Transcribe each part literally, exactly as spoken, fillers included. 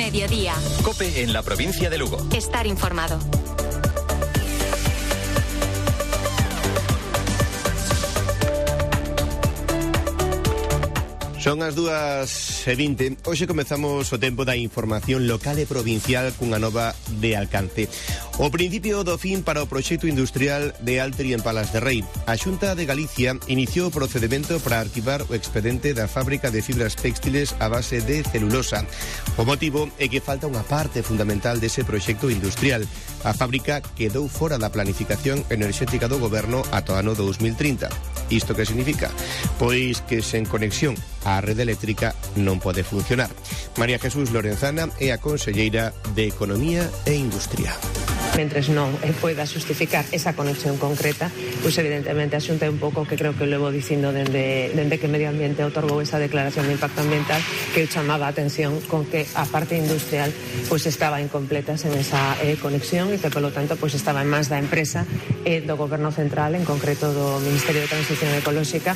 Mediodía. COPE en la provincia de Lugo. Estar informado. Son as dúas e vinte. Hoxe comezamos o tempo da información local e provincial cunha nova de alcance. O principio do fin para o proxecto industrial de Altri en Palas de Rei. A Xunta de Galicia iniciou o procedimento para arquivar o expediente da fábrica de fibras textiles a base de celulosa. O motivo é que falta unha parte fundamental dese proxecto industrial. A fábrica quedou fora da planificación enerxética do goberno ata o ano dous mil trinta. Isto que significa? Pois que sen conexión a rede eléctrica non pode funcionar. María Jesús Lorenzana é a conselleira de Economía e Industria. Mentres non poida xustificar esa conexión concreta, pois evidentemente a Xunta é un pouco que creo que levo dicindo dende, dende que Medio Ambiente otorgou esa declaración de impacto ambiental, que chamaba a atención con que a parte industrial pois estaba incompleta sen esa eh, conexión e que polo tanto pois estaba en mans da empresa e eh, do Goberno Central, en concreto do Ministerio de Transición Ecolóxica,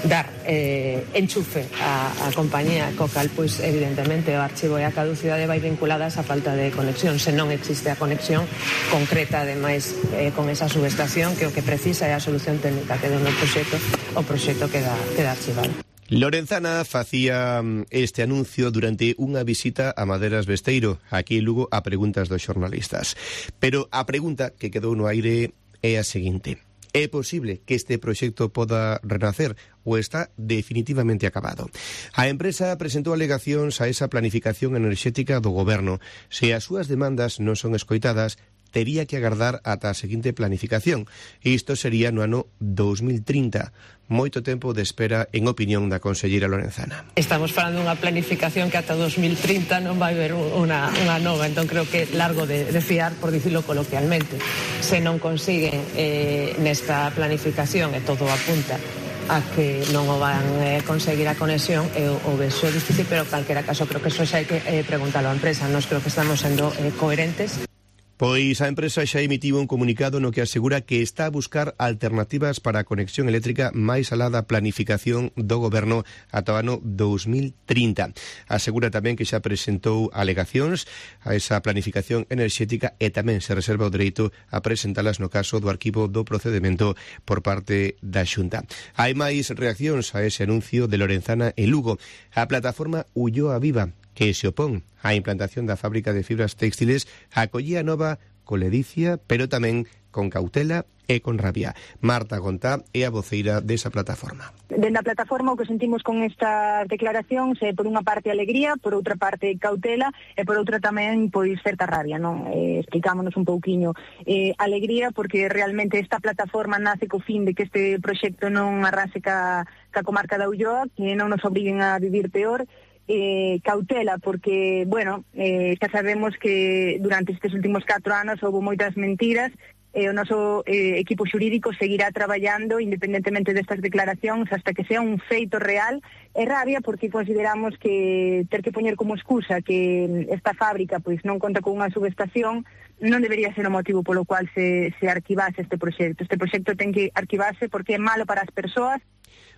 dar eh, enchufe a, a compañía co cal pois evidentemente o archivo e a caducidade vai vinculada a esa falta de conexión. Se non existe a conexión concreta, ademais, eh, con esa subestación, que o que precisa é a solución técnica que dá no proxecto, o proxecto queda, queda archivado. Lorenzana facía este anuncio durante unha visita a Maderas Besteiro, aquí en Lugo, a preguntas dos xornalistas. Pero a pregunta que quedou no aire é a seguinte: é posible que este proxecto poda renacer ou está definitivamente acabado? A empresa presentou alegacións a esa planificación enerxética do goberno. Se as súas demandas non son escoitadas, tería que agardar ata a seguinte planificación. Isto sería no ano dous mil trinta. Moito tempo de espera, en opinión da conselleira Lorenzana. Estamos falando dunha planificación que ata dous mil trinta non vai haber unha, unha nova, entón creo que é largo de, de fiar, por dicirlo coloquialmente. Se non consiguen eh, nesta planificación, e todo apunta a que non o van eh, conseguir a conexión, e o, o vexo é difícil, pero en calquera caso creo que eso xa hai que eh, preguntarlo á empresa. Nós creo que estamos sendo eh, coherentes. Pois a empresa xa emitiu un comunicado no que asegura que está a buscar alternativas para a conexión eléctrica máis alá da planificación do goberno ata o ano dous mil trinta. Asegura tamén que xa presentou alegacións a esa planificación enerxética e tamén se reserva o dereito a presentalas no caso do arquivo do procedimento por parte da Xunta. Hai máis reaccións a ese anuncio de Lorenzana en Lugo. A plataforma Ulloa Viva, que se opón á implantación da fábrica de fibras textiles, acollía nova con ledicia, pero tamén con cautela e con rabia. Marta Gontá é a voceira desa plataforma. Dende a plataforma o que sentimos con estas declaracións é por unha parte alegría, por outra parte cautela e por outra tamén pois certa rabia, non? Eh, explicámonos un pouquiño. Eh, alegría porque realmente esta plataforma nace co fin de que este proxecto non arrase ca, ca comarca da Ulloa, que non nos obriguen a vivir peor. Eh, cautela porque, bueno, eh, xa sabemos que durante estes últimos catro anos houve moitas mentiras e o noso eh, equipo xurídico seguirá traballando independentemente destas declaracións hasta que sea un feito real. E rabia porque consideramos que ter que poñer como excusa que esta fábrica pois non conta con unha subestación non debería ser o motivo polo cual se, se arquivase este proxecto. Este proxecto ten que arquivarse porque é malo para as persoas.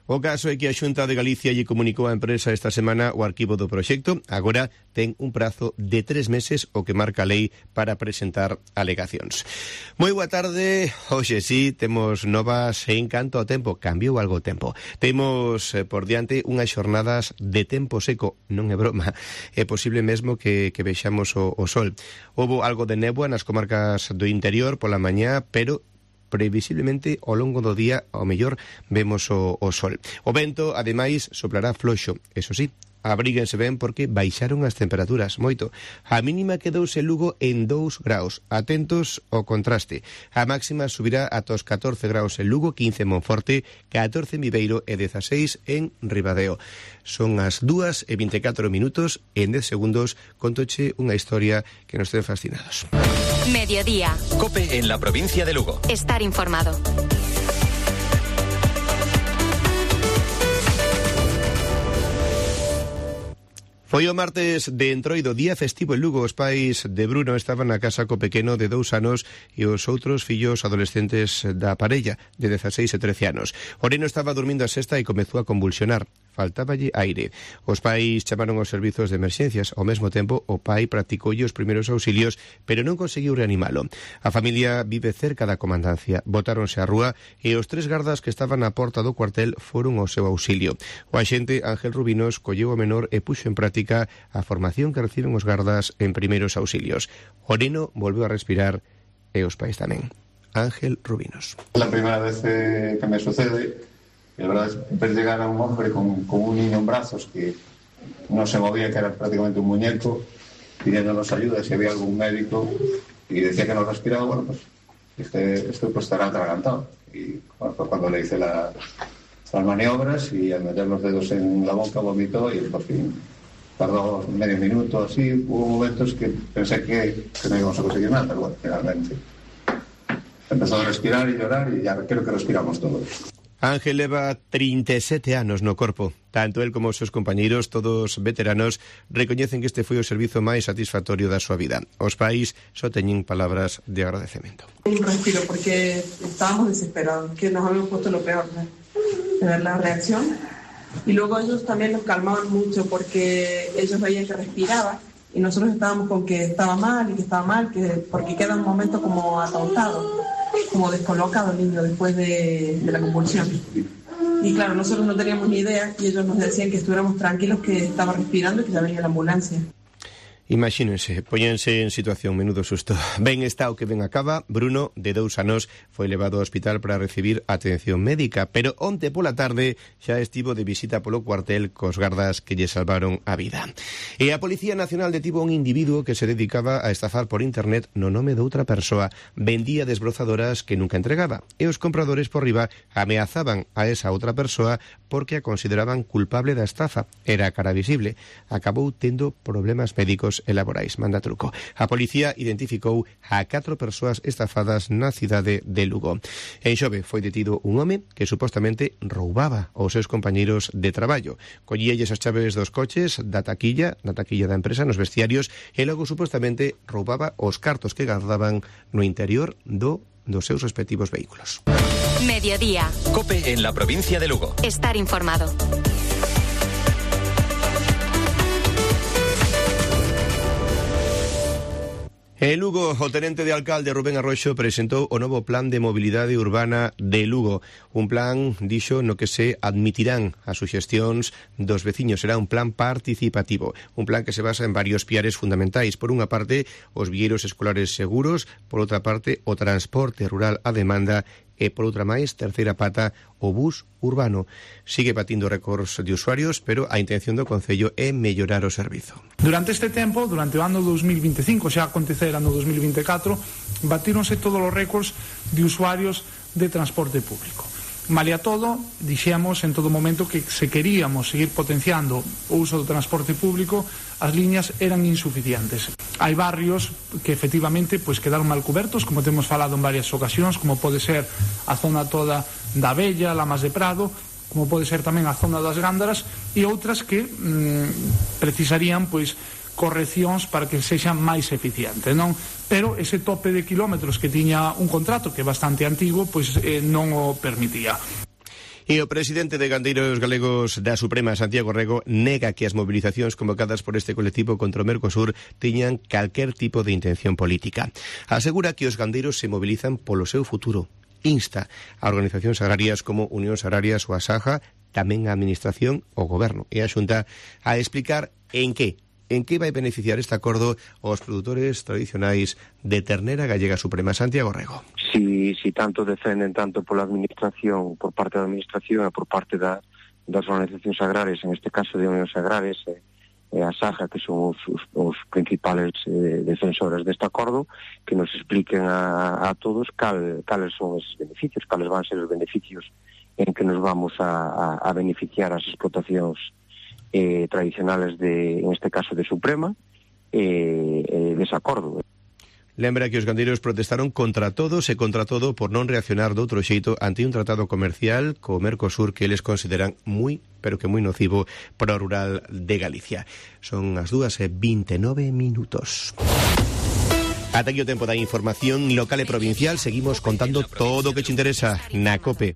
O caso é que a Xunta de Galicia lle comunicou á empresa esta semana o arquivo do proxecto. Agora ten un prazo de tres meses o que marca a lei para presentar alegacións. Moi boa tarde. Hoxe sí, temos novas en canto ao tempo. Cambiou algo o tempo. Temos eh, por diante unhas xornadas de tempo seco. Non é broma. É posible mesmo que, que vexamos o, o sol. Houbo algo de néboa nas comarcas do interior pola mañá, pero previsiblemente ao longo do día ao mellor vemos o, o sol. O vento, ademais, soplará floxo, eso sí. Abríguense ben porque baixaron as temperaturas moito. A mínima quedouse en Lugo en dous graus. Atentos ao contraste. A máxima subirá ata os catorce graus en Lugo, quince en Monforte, catorce en Viveiro e dezaseis en Ribadeo. Son as dúas e vinte e catro minutos e en dez segundos contoche unha historia que nos ten fascinados. Mediodía. COPE en la provincia de Lugo. Estar informado. Foi o martes de Entroido, día festivo en Lugo. Os pais de Bruno estaban na casa co pequeno de dous anos e os outros fillos adolescentes da parella, de dezaseis e trece anos. O neno estaba dormindo a sesta e comezou a convulsionar. Faltáballe aire. Os pais chamaron aos servizos de emerxencias. Ao mesmo tempo, o pai practicoulle os primeiros auxilios, pero non conseguiu reanimalo. A familia vive cerca da comandancia. Botáronse á rúa e os tres gardas que estaban á porta do cuartel foron ao seu auxilio. O axente Ángel Rubinos colleu o menor e puxo en práctica a formación que reciben os gardas en primeiros auxilios. O neno volveu a respirar e os pais tamén. Ángel Rubinos. La primera vez eh, que me sucede, y la verdad es ver llegar a un hombre con, con un niño en brazos que no se movía, que era prácticamente un muñeco, pidiéndonos ayuda si había algún médico, y decía que no respiraba. Bueno, pues este, este pues estará atragantado. Y bueno, pues cuando le hice la, las maniobras y al meter los dedos en la boca vomitó y por fin tardó medio minuto así. Hubo momentos que pensé que, que no íbamos a conseguir nada, pero bueno, finalmente empezó a respirar y llorar y ya creo que respiramos todos. Ángel leva trinta e sete anos no corpo. Tanto el como os seus compañeiros, todos veteranos, recoñecen que este foi o servizo máis satisfactorio da súa vida. Os pais só teñen palabras de agradecemento. Un respiro, porque estábamos desesperados, que nos habíamos puesto lo peor, ¿no? De ver la reacción. Y luego ellos también nos calmaban mucho, porque ellos veían que respiraba y nosotros estábamos con que estaba mal y que estaba mal, que porque queda un momento como atontado, como descolocado el niño después de, de la convulsión. Y claro, nosotros no teníamos ni idea y ellos nos decían que estuviéramos tranquilos, que estaba respirando y que ya venía la ambulancia. Imagínense, póñense en situación, menudo susto. Ben está o que ben acaba. Bruno, de dous anos, foi levado ao hospital para recibir atención médica, pero onte pola tarde xa estivo de visita polo cuartel cos gardas que lle salvaron a vida. E a Policía Nacional detivo un individuo que se dedicaba a estafar por internet no nome doutra persoa. Vendía desbrozadoras que nunca entregaba e os compradores por riba ameazaban a esa outra persoa porque a consideraban culpable da estafa. Era cara visible. Acabou tendo problemas médicos e laborais. Manda truco. A policía identificou a catro persoas estafadas na cidade de Lugo. En Xove foi detido un home que supostamente roubaba aos seus compañeiros de traballo. Collíalles as chaves dos coches da taquilla, da taquilla da empresa, nos vestiarios, e logo supostamente roubaba os cartos que gardaban no interior do dos seus respectivos vehículos. Mediodía. COPE en la provincia de Lugo. Estar informado. En Lugo, o tenente de alcalde Rubén Arroxo presentou o novo plan de mobilidade urbana de Lugo. Un plan, dixo, no que se admitirán as suxestións dos veciños. Será un plan participativo, un plan que se basa en varios piares fundamentais. Por unha parte, os vieiros escolares seguros, por outra parte, o transporte rural a demanda e, por outra máis, terceira pata, o bus urbano. Sigue batindo récords de usuarios, pero a intención do Concello é mellorar o servizo. Durante este tempo, durante o ano dos mil vinte e cinco, xa acontecerá no dos mil vinte e catro, batíronse todos os récords de usuarios de transporte público. Malia todo, dixemos en todo momento que se queríamos seguir potenciando o uso do transporte público, as liñas eran insuficientes. Hai barrios que efectivamente pois, quedaron mal cubertos, como temos falado en varias ocasións, como pode ser a zona toda da Bella, Lamas de Prado, como pode ser tamén a zona das Gándaras, e outras que mmm, precisarían pois correccións para que sexan máis eficientes, non? Pero ese tope de kilómetros que tiña un contrato que é bastante antigo, pois eh, non o permitía. E o presidente de Gandeiros Galegos da Suprema, Santiago Rego, nega que as movilizacións convocadas por este colectivo contra o Mercosur tiñan calquer tipo de intención política. Asegura que os gandeiros se movilizan polo seu futuro. Insta a organizacións agrarias como Unión Agrarias ou a Saja, tamén a Administración, o Goberno e a Xunta a explicar en que En que vai beneficiar este acordo aos produtores tradicionais de ternera gallega suprema. Santiago Rego. Si, si tanto defenden tanto pola administración, por parte da administración e por parte da, das organizacións agrarias, en este caso de Unións Agrarias e, e a Saja, que son os, os, os principales eh, defensores deste acordo, que nos expliquen a, a todos cal, cales son os beneficios, cales van ser os beneficios en que nos vamos a, a, a beneficiar as explotacións Eh, tradicionales de, en este caso de Suprema, eh, eh, desacordo. Lembra que os gandeiros protestaron contra todos e contra todo por non reaccionar de outro xeito ante un tratado comercial co Mercosur que eles consideran moi pero que moi nocivo para o rural de Galicia. Son as dúas e vinte e nove minutos. Ata aquí o tempo da información local e provincial. Seguimos contando todo o que te interesa na COPE.